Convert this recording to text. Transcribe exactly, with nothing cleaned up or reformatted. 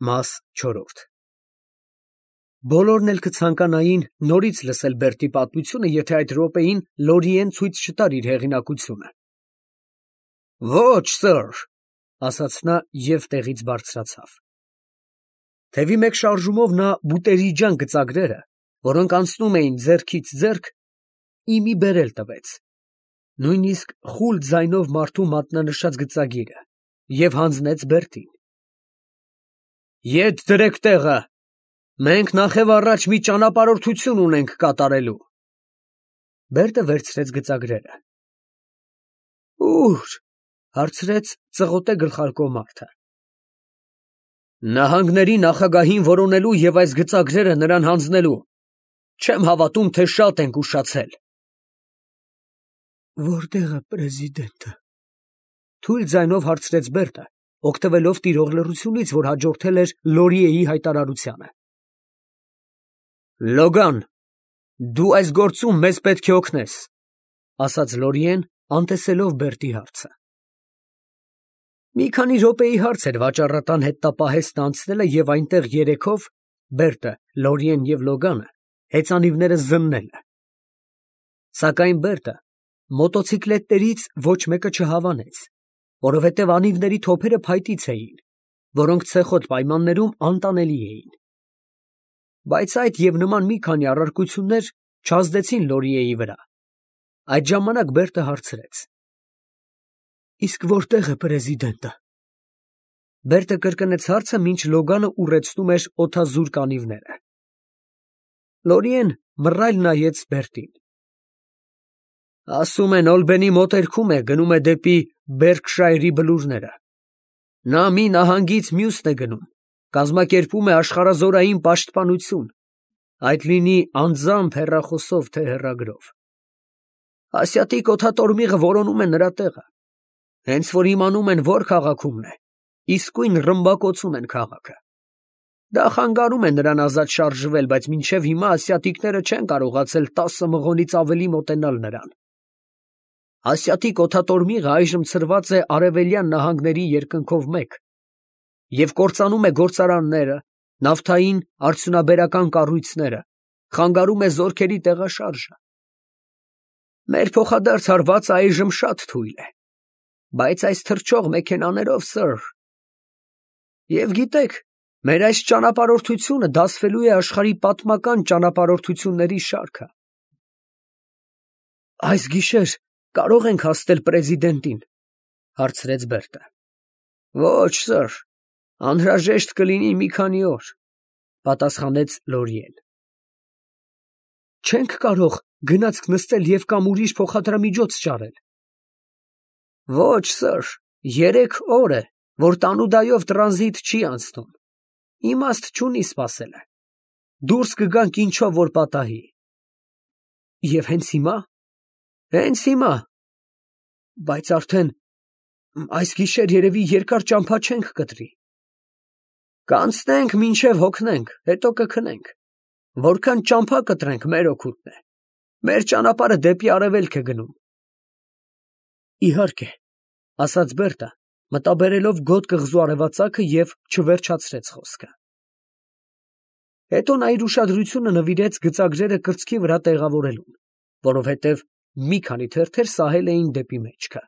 Մաս չորրորդ Բոլորն էլ կցանկանային նորից լսել Բերտի պատմությունը, եթե այդ րոպեին Լորիեն ցույց չտար իր հեղինակությունը։ Ոչ, սըր, ասաց նա և տեղից բարձրացավ։ Թևի մեկ շարժումով նա բուտերիջան գծագրերը, որոնք անցնում էին ձեռքից ձեռք, իմի բերել տվեց, նույնիսկ խուլ ձայնով մարդու մատնանշած գծագիրը, և հանձնեց Բերտին։ Ետ դրեք տեղը, մենք նախևառաջ մի ճանապարհորդություն ունենք կատարելու։ Բերտը վերցրեց գծագրերը։ Ո՞ւր, հարցրեց ծղոտե գլխարկով մարդը։ Նահանգների նախագահին որոնելու և այս գծագրերը նրան հանձնելու, չեմ հավատում, թե շատ ենք ուշացել։ Որտե՞ղ է պրեզիդենտը, թույլ ձայնով հարցրեց Բերտը, օգտվելով տիրող լռությունից, որ հաջորդել էր Լորիեի հայտարարությանը։ Լոգան, դու այս գործում մեզ պետք է օգնես, ասաց Լորիեն, անտեսելով Բերտի հարցը։ Մի քանի րոպեի հարց էր վաճառատան հետնապահեստը անցնելը և այնտեղ երեքով Բերտը, Լորիեն և Լոգանը հեծանիվները զննելը։ Սակայն Բերտը մոտոցիկլետներից ոչ մեկը չհավանեց, որովհետև անիվների թոփերը փայտից էին, որոնք ցեխոտ պայմաններում անտանելի էին։ Բայց այդ և նման մի քանի առարկություններ չազդեցին Լորիեի վրա։ Այդ ժամանակ Բերտը հարցրեց. Իսկ որտե՞ղ է պրեզիդենտը։ Բերտը կրկնեց հարցը, մինչ Լոգանը ուռեցնում էր օդազուրկ անիվները։ Լորիեն մռայլ նայեց Բերտին։ Ասում են Օլբենի մոտերքում է, գնում է դեպի Բերքշայրի բլուրները։ Նա մի նահանգից մյուսն է գնում, կազմակերպում է աշխարհազորային պաշտպանություն, այդ լինի անձամբ հեռախոսով, թե հեռագրով։ Ասիատիկ օդատորմիղը որոնում է նրա տեղը, հենց որ իմանում են, որ քաղաքումն է, իսկույն ռմբակոծում են քաղաքը։ Դա խանգարում է նրան ազատ շարժվել, բայց մինչև հիմա ասիատիկները չեն կարողացել տասը մղոնից ավելի մոտենալ նրան։ Ասիատիկ օդատորմիղը այժմ ցրված է արևելյան նահանգների երկնքով մեկ և կործանում է գործարանները, նավթային արդյունաբերական կառույցները, խանգարում է զորքերի տեղաշարժը։ Մեր փոխադարձ հարվածը այժմ շատ թույլ է, բայց այս թռչող մեքենաներով, սըր։ Եվ գիտեք, մեր այս ճանապարհորդությունը դասվելու է աշխարհի պատմական ճանապարհորդությունների շարքը։ Այս գիշեր կարո՞ղ ենք հասնել պրեզիդենտին, հարցրեց Բերտը։ Ոչ, սըր, անհրաժեշտ կլինի մի քանի օր, պատասխանեց Լորիեն։ Չենք կարող գնացք նստել և կամ ուրիշ փոխադրամիջոց ճարել։ Ոչ, սըր, երեք օր է, որ տանուդայով տրանզիտ չի անցնում, իմաստ չունի սպասելը, դուրս կգանք ինչով որ պատահի։ Եվ հենց հիմա, հենց հիմա, բայց արդեն այս գիշեր երևի երկար ճամփա չենք կտրի։ Կանցնենք մինչև հոգնենք, հետո կքնենք, որքան ճամփա կտրենք, մեր օգուտն է, մեր ճանապարհը դեպի արևելք է գնում։ Իհարկե, ասաց Բերտը, մտաբերելով գոտ կղզու արևածագը և չվերջացրեց խոսքը։ Հետո նա իր ուշադրությունը նվիրեց գծագրերը կրծքի վրա տեղավորելուն, որովհետև մի քանի թերթեր սահել էին դեպի մեջքը։